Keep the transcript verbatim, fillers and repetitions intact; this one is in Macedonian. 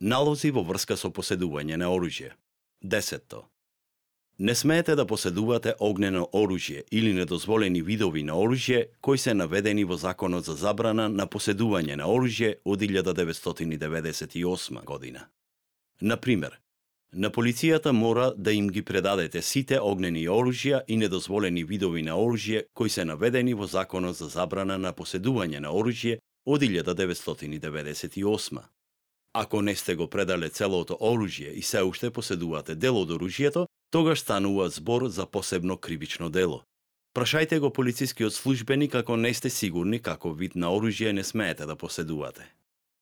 Налози во врска со поседување на оружје. Десетто. Не смеете да поседувате огнено оружје или недозволени видови на оружје кои се наведени во Законот за забрана на поседување на оружје од илјада деветстотини деведесет и осма година. Например, на полицијата мора да им ги предадете сите огнени оружја и недозволени видови на оружје кои се наведени во Законот за забрана на поседување на оружје од илјада деветстотини деведесет и осма. Ако не сте го предале целото оружје и се уште поседувате дел од оружјето, тогаш станува збор за посебно кривично дело. Прашајте го полицискиот службеник ако не сте сигурни каков вид на оружје не смеете да поседувате.